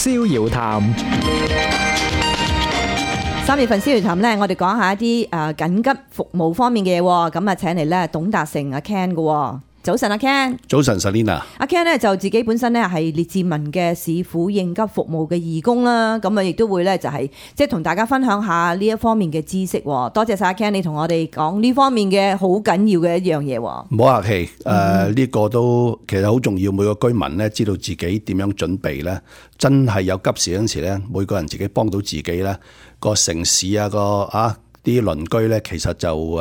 逍遙談。3月份逍遙談咧，我哋講下一啲緊急服務方面嘅嘢喎。咁啊，請嚟咧董達成阿 Ken 嘅。早晨，阿 Ken。早晨 Selina。阿 Ken 咧就自己本身咧係列治文嘅市府應急服務嘅義工啦。咁啊，亦都會咧就係即係同大家分享下呢一方面嘅知識。多謝晒阿 Ken，你同我哋講呢方面嘅好緊要嘅一樣嘢。唔好客氣，呢個都其實好重要。每個居民咧知道自己點樣準備咧，真係有急事嗰陣時咧，每個人自己幫到自己咧，個城市啊啲鄰居咧，其實就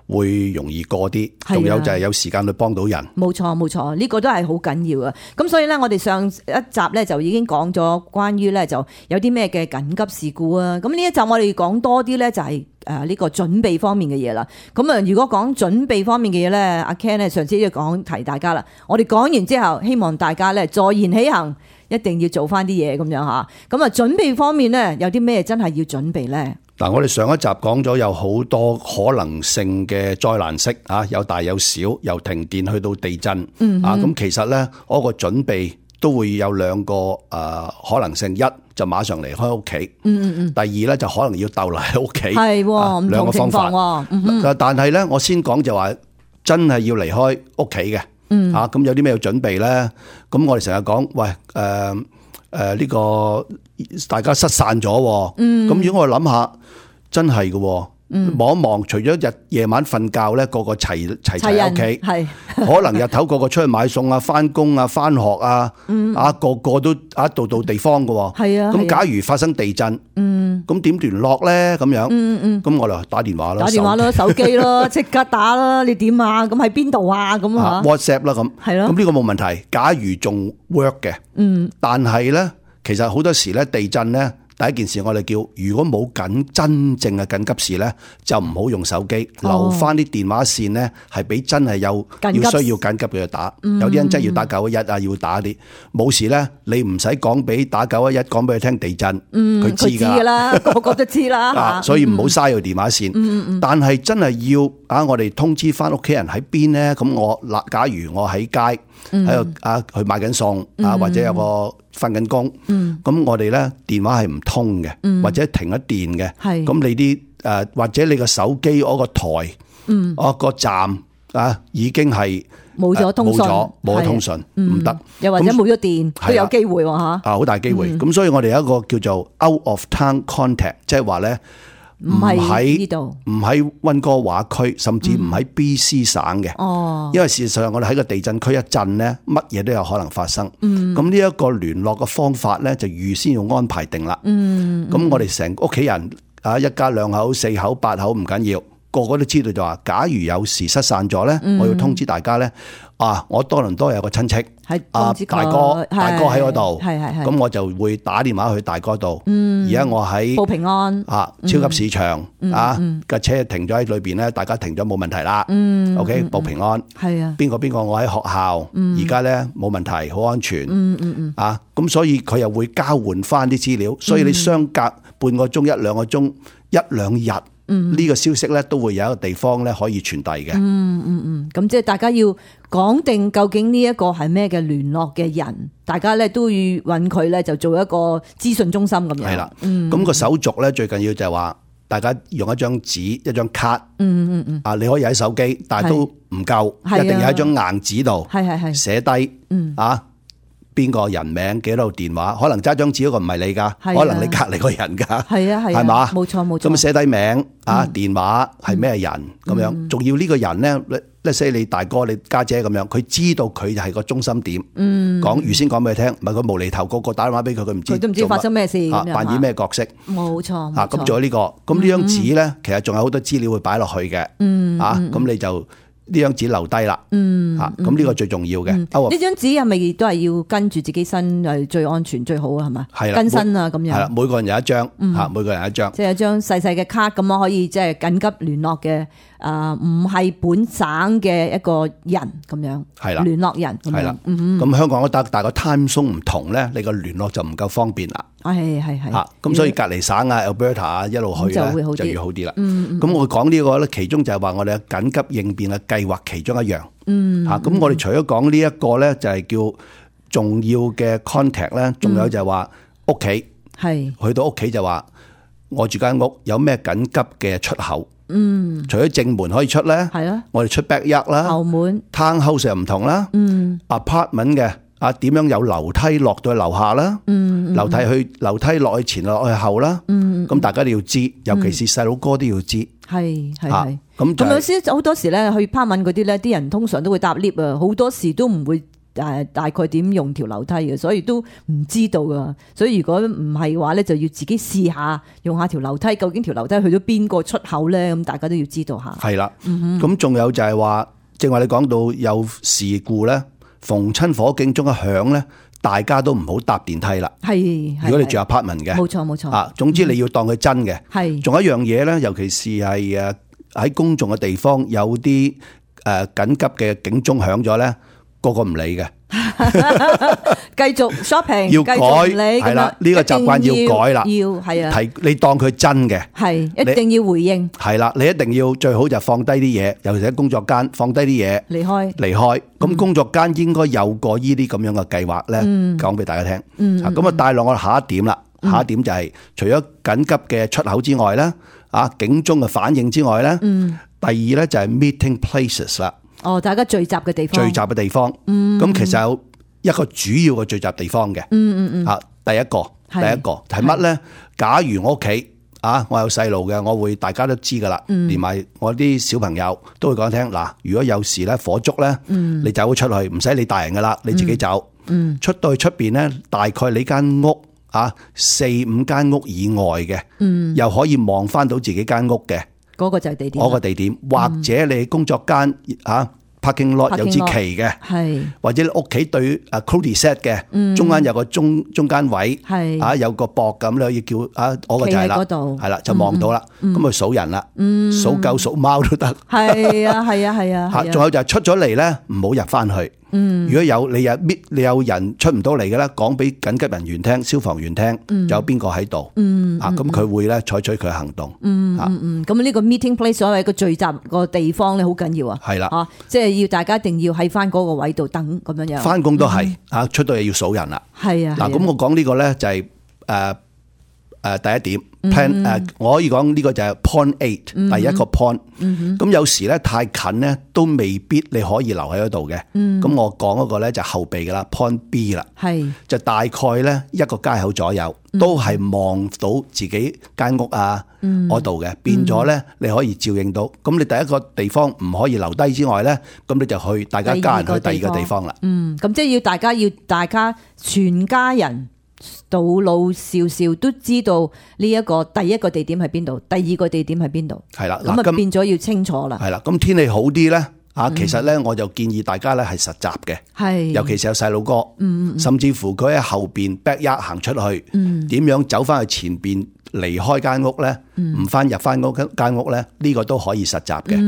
會容易過啲，仲有就係有時間去幫到人。冇錯冇錯，呢個都係好緊要啊！咁所以咧，我哋上一集咧就已經講咗關於咧就有啲咩嘅緊急事故啊！咁呢一集我哋講多啲咧就係呢個準備方面嘅嘢啦。咁啊，如果講準備方面嘅嘢咧，阿 Ken 咧上次都講提大家啦。我哋講完之後，希望大家咧坐言起行，一定要做翻啲嘢咁樣嚇。咁啊，準備方面咧有啲咩真係要準備咧？嗱，我哋上一集講咗有好多可能性嘅災難式有大有小，由停電去到地震咁其實咧，嗰個準備都會有兩個可能性，一就馬上離開屋企，第二咧就可能要逗留喺屋企，係兩個方法。但係咧，我先講就話真係要離開屋企嘅，咁有啲咩要準備咧？咁我哋成日講，喂，呢個大家失散咗，咁如果我諗下，真係嘅，望一望，除咗夜晚瞓覺咧，個個齊喺屋企，係可能日頭個個出去買餸啊、翻工啊、翻學啊，個個都度地方嘅，係啊。咁假如發生地震，咁點聯絡咧？咁樣，咁我哋打電話啦，手機咯，即刻打啦！你點啊？咁喺邊度啊？咁啊 ，WhatsApp 啦，咁係咯。咁呢個冇問題。假如仲 work 嘅，但係咧，其實好多時咧，地震咧。第一件事我哋叫，如果冇真正嘅緊急事咧，就唔好用手機，留翻啲電話線咧，係俾真係要需要緊急嘅打。有啲人真係要打911啊，要打啲冇事咧，你唔使講俾打911，講俾佢聽地震，佢知㗎啦，個個都知啦。所以唔好嘥個電話線。但係真係要我哋通知翻屋企人喺邊咧。咁假如我喺街喺度去買緊餸或者有個瞓緊工，咁我哋咧電話係唔通嘅，或者停咗電嘅，咁你啲或者你個手機嗰個台，個站已經係冇咗通訊，冇咗通訊，唔得，又或者冇咗電都有機會嚇，好大機會。咁所以我哋有一個叫做 out of town contact，即係話咧。唔喺呢度，唔喺溫哥華區，甚至唔喺 BC 省嘅。因為事實上我哋喺個地震區一震咧，乜嘢都有可能發生。咁呢一個聯絡嘅方法咧，就預先要安排定啦。咁我哋成屋企人一家2口、4口、8口唔緊要，個個都知道就話，假如有時失散咗咧，我要通知大家咧。我多倫多有個親戚，大哥喺嗰度，咁我就會打電話去大哥度。而家我喺報平安，超級市場架車停咗喺裏邊咧，大家停咗冇問題啦。OK， 報平安。係啊，邊個我喺學校，而家咧冇問題，好安全。咁所以佢又會交換翻啲資料，所以你相隔半個鐘、1-2個鐘、1-2日。呢個消息咧都會有一個地方咧可以傳遞嘅。咁即係大家要講定究竟呢一個係咩嘅聯絡嘅人，大家咧都要揾佢咧就做一個資訊中心咁樣。係啦，咁個手續咧最緊要就係話，大家用一張紙、一張卡。你可以喺手機，但係都唔夠，一定要喺張硬紙度寫低。邊個人名幾多電話，可能揸張紙嗰個唔係你噶，可能你隔籬個人噶，係嘛？冇錯冇錯。咁寫低名電話係咩人咁樣，仲要呢個人咧，let's say你大哥你家姐咁樣，佢知道佢係個中心點，預先講俾佢聽，唔係佢無厘頭個個打電話俾佢，佢唔知發生咩事，扮演咩角色。冇錯。咁仲有呢個，咁呢張紙咧，其實仲有好多資料會擺落去嘅。咁你就。呢張紙留低啦，咁呢個最重要嘅。呢張紙係咪都係要跟住自己身係最安全最好啊？係嘛？係啦，跟身啊咁樣。係啦，每個人有一張，每個人有一張。即係一張細細嘅卡咁樣可以即係緊急聯絡嘅，唔係本省嘅一個人咁樣。係啦，聯絡人。係啦，咁香港都得，但係個 time zone 唔同咧，你個聯絡就唔夠方便啦。係。咁所以隔離省Alberta 啊一路去咧就要好啲啦。咁我講呢個咧，其中就係話我哋緊急應變嘅計劃其中一樣。咁我哋除咗講呢一個咧，就係叫重要嘅 contact 咧，仲有就係話屋企，係去到屋企就話我住間屋有咩緊急嘅出口，除咗正門可以出咧，係啊，我哋出 backyard 啦後門， ，townhouse 又唔同啦，apartment 嘅點樣有樓梯落到去樓下啦，樓梯落去前落去後啦，咁大家都要知，尤其是細佬哥都要知。係咁就咁有時好多時咧去拍文嗰啲咧，啲人通常都會搭 lift 啊，好多時都唔會大概點用條樓梯嘅，所以都唔知道噶。所以如果唔係嘅話咧，就要自己試下用下條樓梯，究竟條樓梯去到邊個出口咧？咁大家都要知道下。係啦，咁仲有就係話，正話你講到有事故咧，逢親火警鐘一響咧，大家都唔好搭電梯啦。係，如果你住 apartment 嘅，冇錯。總之你要當佢真嘅。係，仲有一樣嘢咧，尤其是係喺公眾嘅地方有啲緊急嘅警鐘響咗咧，個唔理嘅，繼續 shopping，要改係啦，呢個習慣要改啦，要係啊，你當佢真嘅，係一定要回應，係啦，你一定要最好就放低啲嘢，尤其是喺工作間放低啲嘢，離開。咁工作間應該有個呢啲咁樣嘅計劃咧，講俾大家聽。咁帶落我哋下一點啦。下一點就係除咗緊急嘅出口之外咧，警鐘嘅反應之外咧，第二咧就係 meeting places 啦。哦，大家聚集嘅地方。咁其實有一個主要嘅聚集地方嘅。第一個係乜咧？假如我屋企我有細路嘅，我會大家都知噶啦，連埋我啲小朋友都會講聽。嗱，如果有時咧火燭咧，你走咗出去，唔使理大人噶啦，你自己走。出到去出邊咧，大概你間屋4-5間屋以外嘅，又可以望翻到自己間屋嘅，嗰個就係地點。嗰個地點，或者你工作間parking lot 有支旗嘅，或者你屋企對cul-de-sac 嘅，中間有個中間位，有個膊咁，你可以叫我個就係啦，係啦，就望到啦，咁去數人啦，數狗數貓都得。係啊。仲有就係出咗嚟咧，唔好入翻去。如果有你有人出唔到嚟嘅咧，講俾緊急人員聽、消防員聽，有邊個喺度，咁佢會咧採取佢行動。咁呢個 meeting place 所謂個聚集個地方咧，好緊要啊。係啦，即係要大家一定要喺翻嗰個位度等咁樣樣。翻工都係出到嚟要數人啦。係啊。嗱，咁我講呢個咧就係第一點 plan， 我可以講呢個就係 point 8，第一個 point。咁有時咧太近咧都未必你可以留喺嗰度嘅。咁我講嗰個咧就後備噶啦 point B 啦，就大概咧一個街口左右都係望到自己間屋嗰度嘅，變咗咧你可以照應到。咁你第一個地方唔可以留低之外咧，咁你就去大家家人去第二個地方啦。咁即係要大家全家人到老少少都知道呢一個第一個地點喺邊度，第二個地點喺邊度。係啦，咁變咗要清楚啦。係啦，咁天氣好啲咧，其實咧我就建議大家咧係實習嘅，尤其是有細路哥，甚至乎佢喺後邊 backyard 行出去，點樣走翻去前邊離開間屋咧，唔翻入翻嗰間屋咧，呢個都可以實習嘅。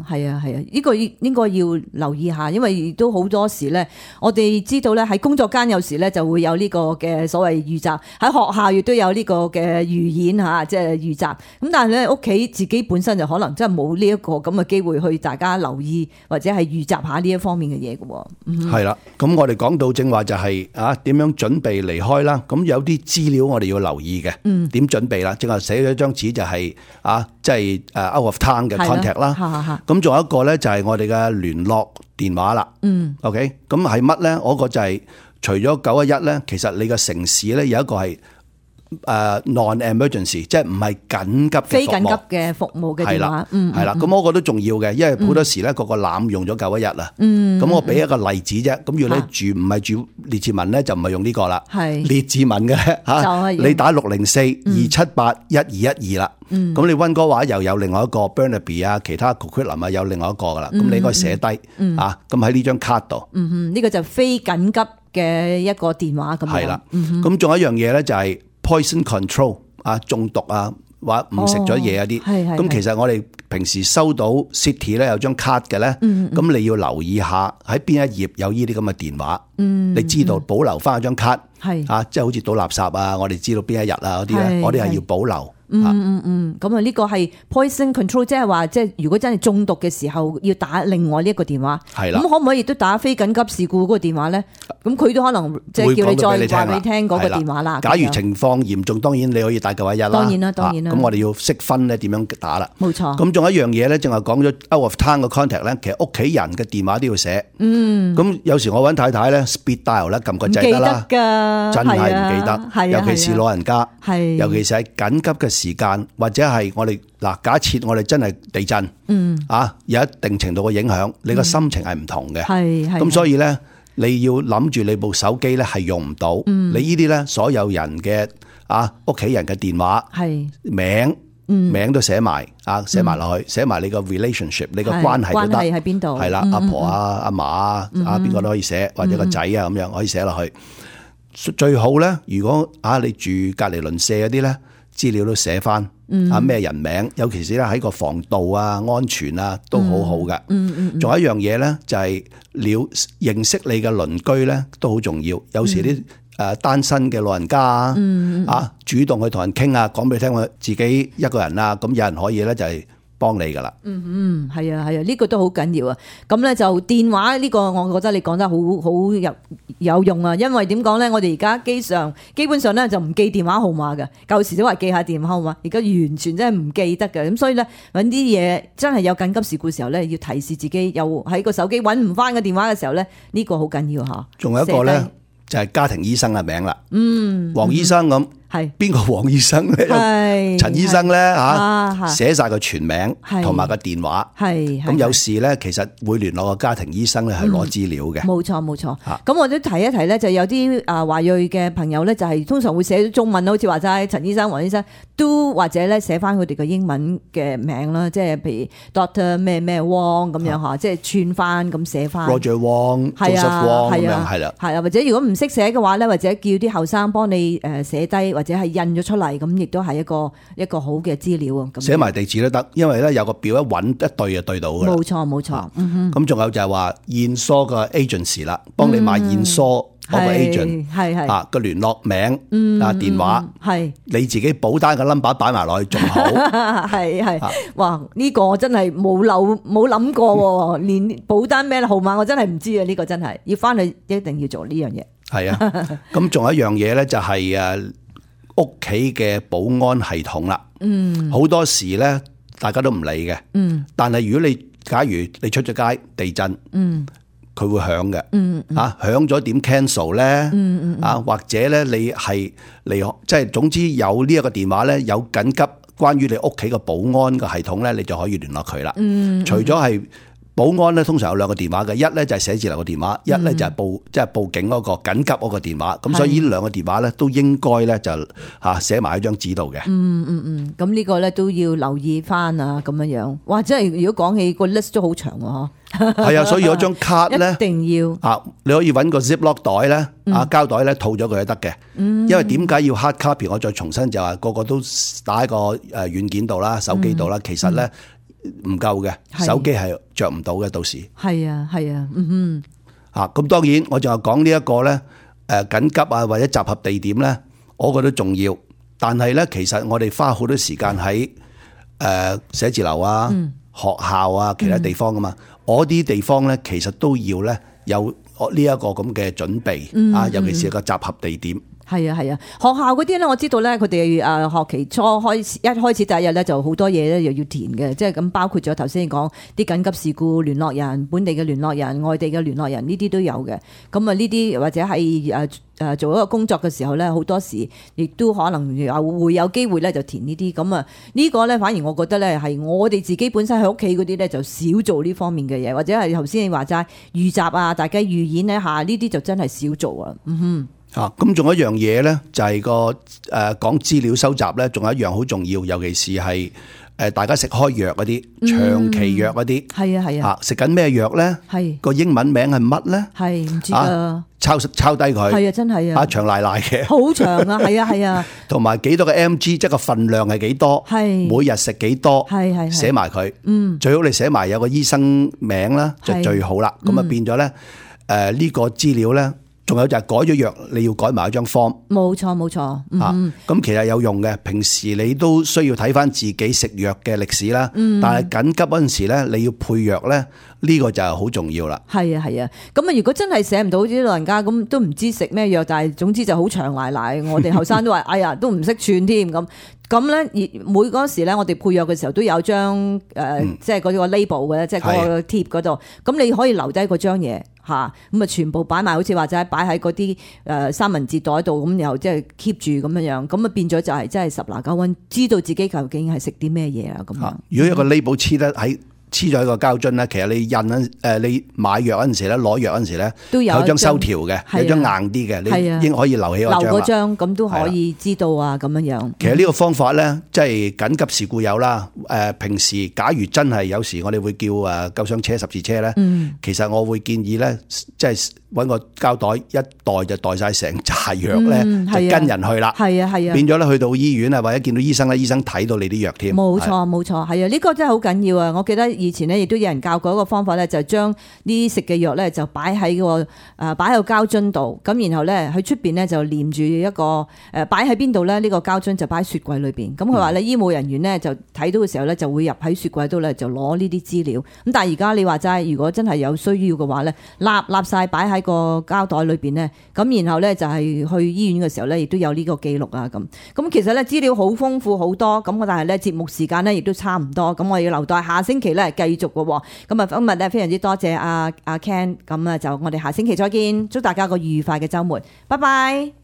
係啊，呢個應該要留意下，因為都好多時咧，我哋知道咧喺工作間有時咧就會有呢個嘅所謂預習，喺學校亦都有呢個嘅預演吓，即係預習。咁但係咧屋企自己本身就可能真係冇呢一個咁嘅機會去大家留意或者係預習下呢一方面嘅嘢嘅。係啦，咁我哋講到正話就係點樣準備離開啦。咁有啲資料我哋要留意嘅。點準備啦？正話寫咗張紙就係即係out of town 嘅 contact 啦。咁仲有一個咧就係我哋嘅聯絡電話啦。OK，咁係乜咧？嗰個就係除咗911咧，其實你嘅城市咧有一個係non-emergency， 即係唔係緊急嘅服務，非緊急嘅服務嘅電話。係啦，咁嗰個都重要嘅，因為好多時咧個濫用咗911啦。咁我俾一個例子啫。咁如果你唔係住列治文咧，就唔係用呢個啦。列治文嘅嚇，你打604-278-1212啦。咁你溫哥華又有另外一個 Burnaby 其他 Coquitlam 有另外一個噶啦。咁你應該寫低咁喺呢張卡度。呢個就非緊急嘅一個電話咁樣。係啦。咁仲有一樣嘢咧就係poison control 中毒或者唔食咗嘢啲，咁其實我哋平時收到 City 咧有張卡嘅咧，咁你要留意下喺邊一頁有呢啲咁嘅電話，你知道保留翻張卡，即係好似倒垃圾我哋知道邊一日嗰啲咧，我哋係要保留咁啊呢個係 poison control， 即係話即係如果真係中毒嘅時候要打另外呢一個電話，係啦。咁可唔可以亦都打非緊急事故嗰個電話咧？咁佢都可能即係叫你再話俾你聽嗰個電話啦。假如情況嚴重，當然你可以打911啦。當然啦。咁我哋要識分咧點樣打啦。冇錯。咁仲有一樣嘢咧，淨係講咗 out of town 嘅 contact 咧，其實屋企人嘅電話都要寫。咁有時我揾太太咧 speed dial 咧，撳個掣得啦。記得㗎，真係唔記得，尤其是老人家，尤其是喺緊急嘅時間，或者係我哋嗱，假設我哋真係地震，有一定程度嘅影響，你個心情係唔同嘅。咁所以咧，你要諗住你部手機咧係用唔到，你呢啲咧所有人嘅屋企人嘅電話名都寫埋寫埋落去，寫埋你個 relationship， 你個關係都得，喺邊度？係啦，阿婆阿嫲邊個都可以寫，或者個仔咁樣可以寫落去。最好咧，如果你住隔離鄰舍嗰啲咧，資料都寫翻咩人名，尤其是咧喺個防盜安全都好好嘅。仲有一樣嘢咧，就係認識你嘅鄰居咧都好重要。有時啲單身嘅老人家主動去同人傾講俾你聽，我自己一個人咁有人可以咧就係幫你噶啦。係啊，呢個都好緊要啊。咁咧就電話呢個，我覺得你講得好有用啊。因為點講咧，我哋而家機上基本上咧就唔記電話號碼嘅。舊時都話記下電話號碼，而家完全真係唔記得嘅。咁所以咧揾啲嘢真係有緊急事故嘅時候咧，要提示自己，又喺個手機揾唔翻個電話嘅時候咧，呢個好緊要嚇。仲有一個咧就係家庭醫生嘅名啦。黃醫生咁。係邊個黃醫生咧？陳醫生咧寫晒個全名同埋個電話。咁有時咧，其實會聯絡個家庭醫生咧係攞資料嘅。冇錯。咁我都提一提咧，就有啲華裔嘅朋友咧，就係通常會寫中文，好似話齋陳醫生、黃醫生，都或者咧寫翻佢哋嘅英文嘅名啦，即係譬如 Doctor 咩咩 Wong 咁樣嚇，即係串翻咁寫翻。Roger Wong、Joseph Wong 咁樣係啦。係啊，或者如果唔識寫嘅話咧，或者叫啲後生幫你寫低。或者係印咗出嚟，咁亦都係一個好嘅資料啊！寫埋地址都得，因為咧有個表一揾一對就對到㗎啦。冇錯。咁仲有就係話驗疏個 agency 啦，幫你買驗疏嗰個 agent，個聯絡名電話，你自己保單嘅 number 擺埋落去仲好。哇！呢個我真係冇諗過喎，連保單咩號碼我真係唔知啊！呢個真係要翻去一定要做呢樣嘢。係啊，咁仲有一樣嘢咧，就係屋企嘅保安系統啦。好多時咧，大家都唔理嘅。但係如果假如你出咗街地震，佢會響嘅。響咗點 cancel 咧？或者咧你係即係總之有呢一個電話咧，有緊急關於你屋企嘅保安嘅系統咧，你就可以聯絡佢啦。除咗係保安咧，通常有兩個電話嘅，一咧就係寫字樓嘅電話，一咧就係報警嗰個緊急嗰個電話。咁所以呢兩個電話咧都應該咧就寫埋喺張紙度嘅。咁呢個咧都要留意翻啊，咁樣樣。哇！真係如果講起個 list 都好長喎。係啊，所以嗰張卡咧一定要你可以揾個 ziplock 袋咧膠袋咧套咗佢都得嘅。因為點解要 hard copy？我再重新就話個個都打喺個軟件度啦、手機度啦，其實咧唔夠嘅，手機係着唔到嘅，到時係啊，咁當然我就係講呢一個咧緊急或者集合地點咧，我覺得重要。但係咧，其實我哋花好多時間喺寫字樓學校其他地方噶嘛，我啲地方咧其實都要咧有呢一個咁嘅準備尤其是個集合地點。係啊，學校嗰啲咧，我知道咧，佢哋學期初一開始第一日咧，就好多嘢咧又要填嘅，即係咁包括咗頭先講啲緊急事故聯絡人、本地嘅聯絡人、外地嘅聯絡人呢啲都有嘅。咁啊呢啲或者係做一個工作嘅時候咧，好多時亦都可能會有機會咧就填呢啲。咁啊呢個咧反而我覺得咧係我哋自己本身喺屋企嗰啲咧就少做呢方面嘅嘢，或者係頭先你話齋預習大家預演一下呢啲就真係少做啊。咁仲有一樣嘢咧，就係個講資料收集咧，仲有一樣好重要，尤其是係大家食開藥嗰啲長期藥嗰啲，係啊，食緊咩藥咧？係個英文名係乜咧？係唔知啊？抄低佢，係啊，真係啊，長賴賴嘅，好長啊，係啊，同埋幾多個 mg，即係個份量係幾多？係每日食幾多？係寫埋佢，最好你寫埋有個醫生名啦，就最好啦。咁啊變咗咧，呢個資料咧。仲有就係改咗藥，你要改埋一張 form。冇錯冇錯，咁其實有用嘅。平時你都需要睇翻自己食藥嘅歷史啦。但係緊急嗰陣時咧，你要配藥咧，呢個就係好重要啦。係啊係啊，咁啊如果真係寫唔到啲老人家咁，都唔知食咩藥，但係總之就好長賴賴。我哋後生都話，哎呀，都唔識串添咁。咁咧，每嗰時咧，我哋配藥嘅時候都有張即係嗰個 label 嘅，即係嗰個貼嗰度。咁你可以留低嗰張嘢嚇，咁啊全部擺埋，好似或者擺喺嗰啲三文治袋度，咁然後即係 keep 住咁樣樣，咁啊變咗就係真係十拿九穩，知道自己究竟係食啲咩嘢啊咁樣。如果一個 label 黐咗喺個膠樽咧，其實你你買藥嗰陣時咧，攞藥嗰陣時咧，都有張收條嘅，有張硬啲嘅，你應該可以留起嗰張。咁都可以知道啊，咁樣樣。其實呢個方法咧，即係緊急事故有啦。平時假如真係有時，我哋會叫救傷車、十字車咧。其實我會建議咧，即係揾個膠袋，一袋就袋晒成扎藥咧，就跟人去啦。係啊係啊，變咗咧去到醫院啊，或者見到醫生咧，醫生睇到你啲藥添。冇錯冇錯，係啊，呢個真係好緊要啊！我記得以前咧，亦都有人教過一個方法咧，就將呢食嘅藥咧就擺喺個擺喺個膠樽度，咁然後咧喺出邊咧就黏住一個擺喺邊度咧？呢個膠樽就擺喺雪櫃裏邊。咁佢話咧，醫務人員咧就睇到嘅時候咧，就會入喺雪櫃度咧就攞呢啲資料。咁但係而家你話齋，如果真係有需要嘅話咧，立晒擺喺個膠袋裏邊咧，咁然後咧就係去醫院嘅時候咧，亦都有呢個記錄啊咁。咁其實咧資料好豐富好多，咁但係咧節目時間咧亦都差唔多，咁我要留待下星期咧繼續嘅。咁啊今日咧非常之多謝阿 Ken，咁啊就我哋下星期再見，祝大家個愉快嘅週末，拜拜。